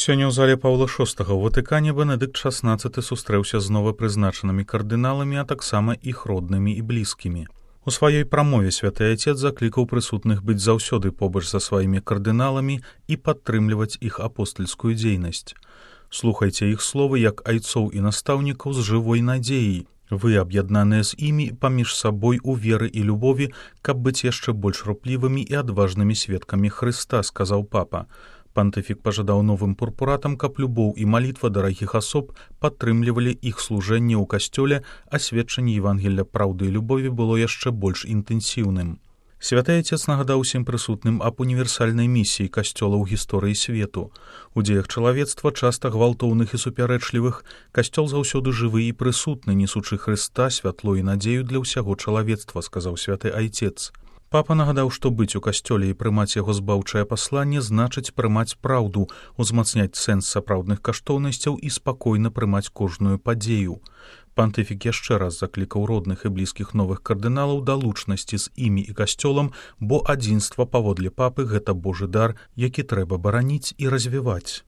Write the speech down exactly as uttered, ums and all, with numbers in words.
Сёння ў зале Паўла шостага ў Ватыкане Бенедыкт шаснаццаты сустрэўся з новапрызначанымі кардыналамі, а таксама іх роднымі і блізкімі. У сваёй прамове святы айцец заклікаў прысутных быць заўсёды побач за сваімі кардыналамі і падтрымліваць іх апостальскую дзейнасць. Слухайце іх словы як айцоў і настаўнікаў з жывой надзеяй. Вы аб'яднаныя з імі паміж сабой у веры і любові, каб быць яшчэ больш руплівымі і адважнымі сведкамі Хрыста, сказаў папа. Пантыфік пажадаў новым пурпуратам, каб любоў і малітва дарагіх асоб падтрымлівалі іх служэнне ў касцёле, а сведчанне Евангелля праўды і любові было яшчэ больш інтэнсіўным. Святы айцец нагадаў усім прысутным аб універсальнай місіі касцёла ў гісторыі свету. У дзеях чалавецтва, часта гвалтоўных і супярэчлівых, касцёл заўсёды жывы і прысутны, несучы Хрыста, святло і надзею для ўсяго чалавецтва, сказаў святы айцец. Папа нагадаў, што быць у касцёле і прымаць яго збаўчае пасланне значыць прымаць праўду, узмацняць сэнс сапраўдных каштоўнасцяў і спакойна прымаць кожную падзею. Пантыфік яшчэ раз заклікаў родных і блізкіх новых кардыналаў да лучнасці з імі і касцёлам, бо адзінства паводле папы гэта Божы дар, які трэба бараніць і развіваць.